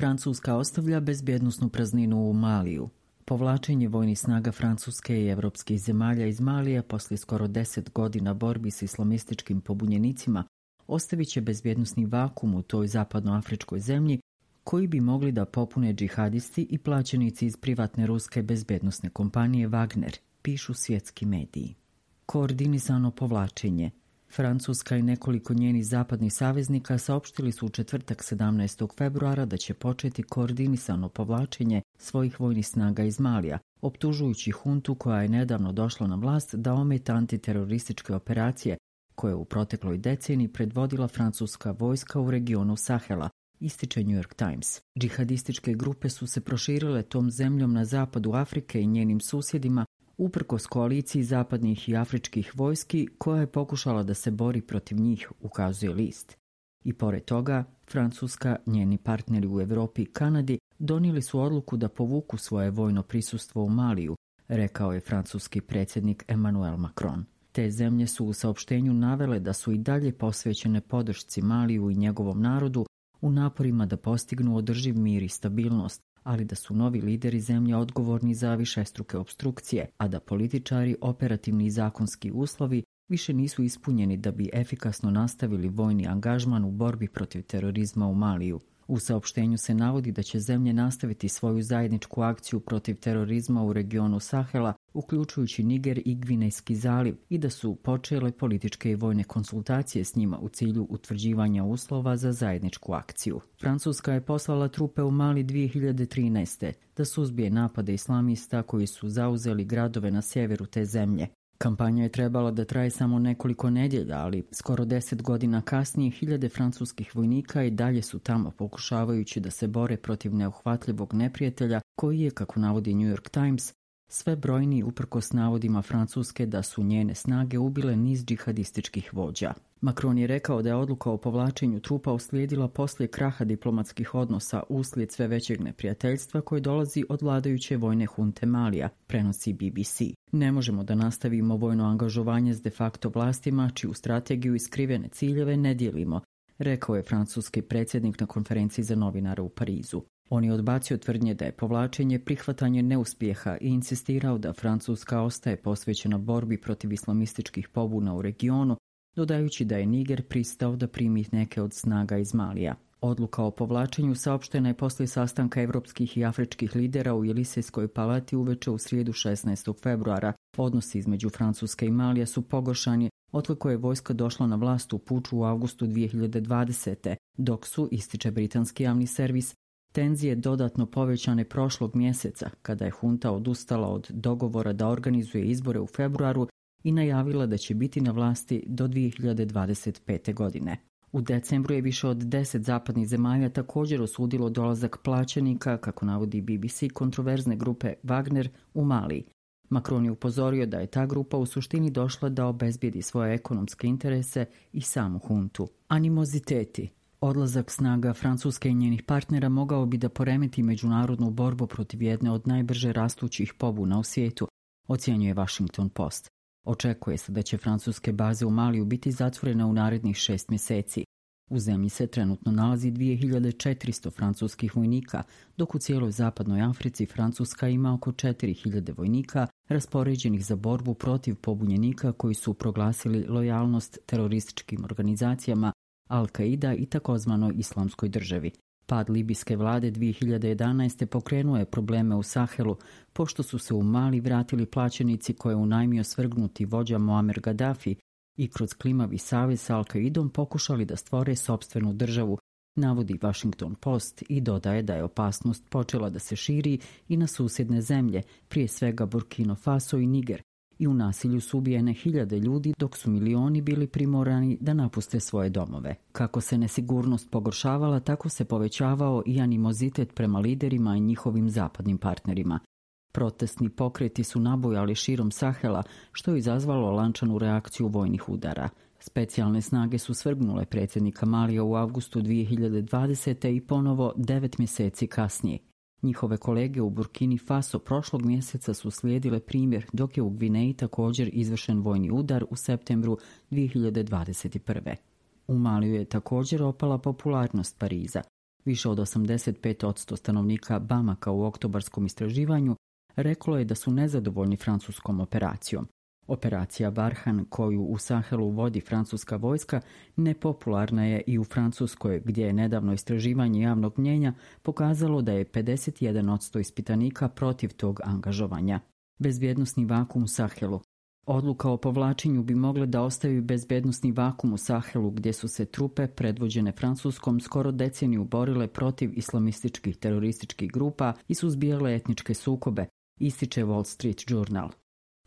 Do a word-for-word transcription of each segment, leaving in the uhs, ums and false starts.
Francuska ostavlja bezbjednosnu prazninu u Maliju. Povlačenje vojnih snaga Francuske i evropskih zemalja iz Malija poslije skoro deset godina borbi s islamističkim pobunjenicima ostavit će bezbjednosni vakum u toj zapadnoafričkoj zemlji koji bi mogli da popune džihadisti i plaćenici iz privatne ruske bezbjednosne kompanije Wagner, pišu svjetski mediji. Koordinisano povlačenje. Francuska i nekoliko njenih zapadnih saveznika saopštili su u četvrtak sedamnaestog februara da će početi koordinisano povlačenje svojih vojnih snaga iz Malija, optužujući huntu koja je nedavno došla na vlast da ometa antiterorističke operacije koje u protekloj deceniji predvodila francuska vojska u regionu Sahela, ističe New York Times. Džihadističke grupe su se proširile tom zemljom na zapadu Afrike i njenim susjedima uprkos koaliciji zapadnih i afričkih vojski koja je pokušala da se bori protiv njih, ukazuje list. I pored toga, Francuska, njeni partneri u Europi i Kanadi donijeli su odluku da povuku svoje vojno prisustvo u Maliju, rekao je francuski predsjednik Emmanuel Macron. Te zemlje su u saopštenju navele da su i dalje posvećene podršci Maliju i njegovom narodu u naporima da postignu održiv mir i stabilnost, ali da su novi lideri zemlje odgovorni za višestruke opstrukcije, a da političari, operativni i zakonski uslovi više nisu ispunjeni da bi efikasno nastavili vojni angažman u borbi protiv terorizma u Maliju. U saopštenju se navodi da će zemlje nastaviti svoju zajedničku akciju protiv terorizma u regionu Sahela, uključujući Niger i Gvinejski zaliv, i da su počele političke i vojne konsultacije s njima u cilju utvrđivanja uslova za zajedničku akciju. Francuska je poslala trupe u Mali dvije hiljade trinaeste da suzbije napade islamista koji su zauzeli gradove na sjeveru te zemlje. Kampanja je trebala da traje samo nekoliko nedjelja, ali skoro deset godina kasnije hiljade francuskih vojnika i dalje su tamo pokušavajući da se bore protiv neuhvatljivog neprijatelja koji je, kako navodi New York Times, sve brojniji uprkos navodima Francuske da su njene snage ubile niz džihadističkih vođa. Macron je rekao da je odluka o povlačenju trupa uslijedila poslije kraha diplomatskih odnosa uslijed sve većeg neprijateljstva koje dolazi od vladajuće vojne hunte Malija, prenosi B B C. Ne možemo da nastavimo vojno angažovanje s de facto vlastima, čiju strategiju i skrivene ciljeve ne dijelimo, rekao je francuski predsjednik na konferenciji za novinare u Parizu. On je odbacio tvrdnje da je povlačenje prihvatanje neuspjeha i insistirao da Francuska ostaje posvećena borbi protiv islamističkih pobuna u regionu, dodajući da je Niger pristao da primi neke od snaga iz Malija. Odluka o povlačenju saopštena je poslije sastanka evropskih i afričkih lidera u Jelisejskoj palati uveče u srijedu šesnaestog februara. Odnosi između Francuske i Malija su pogoršani otkako je vojska došla na vlast u puču u avgustu dvije hiljade dvadesete. Dok su, ističe britanski javni servis, tenzije dodatno povećane prošlog mjeseca kada je hunta odustala od dogovora da organizuje izbore u februaru i najavila da će biti na vlasti do dvije hiljade dvadeset pete. godine. U decembru je više od deset zapadnih zemalja također osudilo dolazak plaćenika, kako navodi B B C, kontroverzne grupe Wagner u Maliji. Macron je upozorio da je ta grupa u suštini došla da obezbijedi svoje ekonomske interese i samu huntu. Animoziteti. Odlazak snaga Francuske i njenih partnera mogao bi da poremeti međunarodnu borbu protiv jedne od najbrže rastućih pobuna u svijetu, ocjenjuje Washington Post. Očekuje se da će francuske baze u Maliju biti zatvorene u narednih šest mjeseci. U zemlji se trenutno nalazi dvije hiljade četiristo francuskih vojnika, dok u cijeloj zapadnoj Africi Francuska ima oko četiri hiljade vojnika raspoređenih za borbu protiv pobunjenika koji su proglasili lojalnost terorističkim organizacijama Al-Qaida i takozvanoj islamskoj državi. Pad libijske vlade dvije hiljade jedanaeste pokrenuo je probleme u Sahelu, pošto su se u Mali vratili plaćenici koje je unajmio svrgnuti vođa Muammar Gaddafi i kroz klimavi savez s Al-Qaidom pokušali da stvore sopstvenu državu, navodi Washington Post i dodaje da je opasnost počela da se širi i na susjedne zemlje, prije svega Burkina Faso i Niger, i u nasilju su ubijene hiljade ljudi dok su milioni bili primorani da napuste svoje domove. Kako se nesigurnost pogoršavala, tako se povećavao i animozitet prema liderima i njihovim zapadnim partnerima. Protestni pokreti su nabujali širom Sahela, što je izazvalo lančanu reakciju vojnih udara. Specijalne snage su svrgnule predsjednika Malija u avgustu dvije hiljade dvadesete. i ponovo devet mjeseci kasnije. Njihove kolege u Burkini Faso prošlog mjeseca su slijedile primjer, dok je u Gvineji također izvršen vojni udar u septembru dvije hiljade dvadeset prve. U Maliju je također opala popularnost Pariza. Više od osamdeset pet posto stanovnika Bamaka u oktobarskom istraživanju reklo je da su nezadovoljni francuskom operacijom. Operacija Barhan, koju u Sahelu vodi francuska vojska, nepopularna je i u Francuskoj, gdje je nedavno istraživanje javnog mnjenja pokazalo da je pedeset jedan posto ispitanika protiv tog angažovanja. Bezbjednosni vakum u Sahelu. Odluka o povlačenju bi mogle da ostaju bezbednosni vakum u Sahelu, gdje su se trupe predvođene Francuskom skoro deceniju borile protiv islamističkih terorističkih grupa i suzbijale etničke sukobe, ističe Wall Street Journal.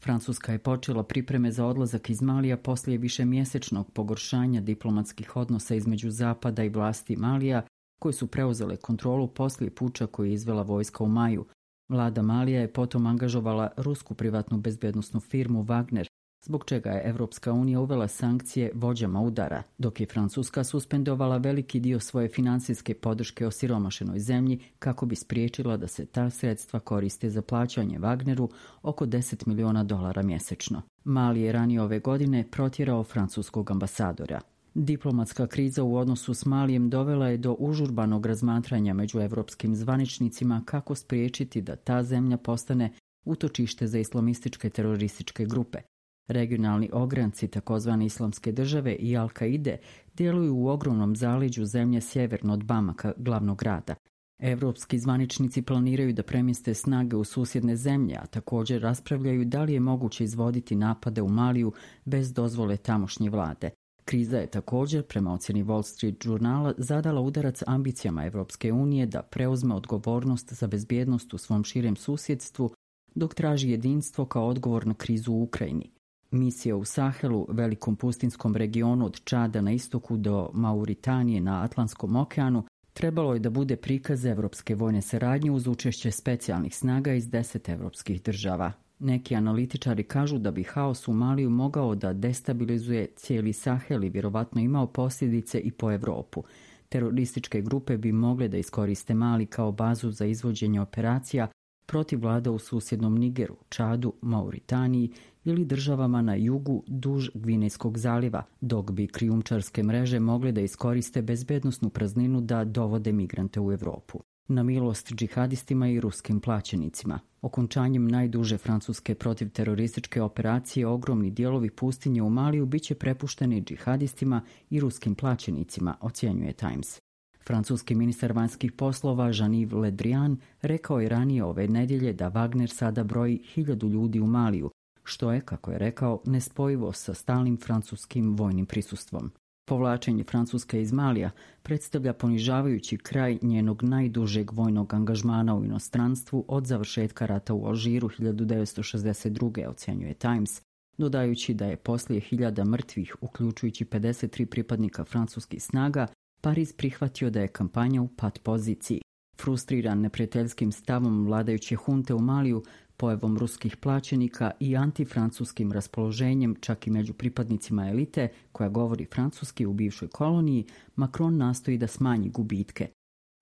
Francuska je počela pripreme za odlazak iz Malija poslije višemjesečnog pogoršanja diplomatskih odnosa između Zapada i vlasti Malija, koje su preuzele kontrolu poslije puča koji je izvela vojska u maju. Vlada Malija je potom angažovala rusku privatnu bezbednosnu firmu Wagner, zbog čega je Evropska unija uvela sankcije vođama udara, dok je Francuska suspendovala veliki dio svoje finansijske podrške osiromašenoj zemlji kako bi spriječila da se ta sredstva koriste za plaćanje Wagneru oko deset miliona dolara mjesečno. Mali je ranije ove godine protjerao francuskog ambasadora. Diplomatska kriza u odnosu s Malijem dovela je do užurbanog razmatranja među evropskim zvaničnicima kako spriječiti da ta zemlja postane utočište za islamističke terorističke grupe. Regionalni ogranci takozvane islamske države i Al-Kaide djeluju u ogromnom zaleđu zemlje sjeverno od Bamaka, glavnog grada. Evropski zvaničnici planiraju da premjeste snage u susjedne zemlje, a također raspravljaju da li je moguće izvoditi napade u Maliju bez dozvole tamošnje vlade. Kriza je također, prema ocjeni Wall Street Journala, zadala udarac ambicijama Evropske unije da preuzme odgovornost za bezbjednost u svom širem susjedstvu, dok traži jedinstvo kao odgovor na krizu u Ukrajini. Misija u Sahelu, velikom pustinskom regionu od Čada na istoku do Mauritanije na Atlantskom okeanu, trebalo je da bude prikaz evropske vojne saradnje uz učešće specijalnih snaga iz deset evropskih država. Neki analitičari kažu da bi haos u Maliju mogao da destabilizuje cijeli Sahel i vjerovatno imao posljedice i po Evropu. Terorističke grupe bi mogle da iskoriste Mali kao bazu za izvođenje operacija protiv vlada u susjednom Nigeru, Čadu, Mauritaniji ili državama na jugu duž Gvinejskog zaliva, dok bi krijumčarske mreže mogle da iskoriste bezbednosnu prazninu da dovode migrante u Evropu. Na milost džihadistima i ruskim plaćenicima. Okončanjem najduže francuske protivterorističke operacije ogromni dijelovi pustinje u Maliju biće prepušteni džihadistima i ruskim plaćenicima, ocjenjuje Times. Francuski ministar vanjskih poslova Jean-Yves Le Drian rekao je ranije ove nedjelje da Wagner sada broji hiljadu ljudi u Maliju, što je, kako je rekao, nespojivo sa stalnim francuskim vojnim prisustvom. Povlačenje Francuske iz Malija predstavlja ponižavajući kraj njenog najdužeg vojnog angažmana u inostranstvu od završetka rata u Alžiru hiljadu devetsto šezdeset druge. ocjenjuje Times, dodajući da je poslije hiljada mrtvih, uključujući pedeset tri pripadnika francuskih snaga, Pariz prihvatio da je kampanja u pat poziciji. Frustriran neprijateljskim stavom vladajuće hunte u Maliju, pojavom ruskih plaćenika i antifrancuskim raspoloženjem čak i među pripadnicima elite koja govori francuski u bivšoj koloniji, Macron nastoji da smanji gubitke.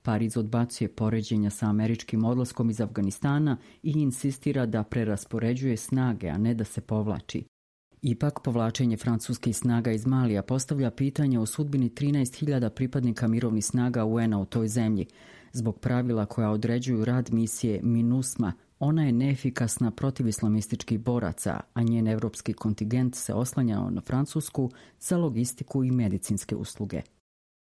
Pariz odbacuje poređenja sa američkim odlaskom iz Afganistana i insistira da preraspoređuje snage, a ne da se povlači. Ipak, povlačenje francuskih snaga iz Malija postavlja pitanje o sudbini trinaest hiljada pripadnika mirovnih snaga U N-a u toj zemlji. Zbog pravila koja određuju rad misije MINUSMA, ona je neefikasna protiv islamističkih boraca, a njen evropski kontingent se oslanja na Francusku za logistiku i medicinske usluge.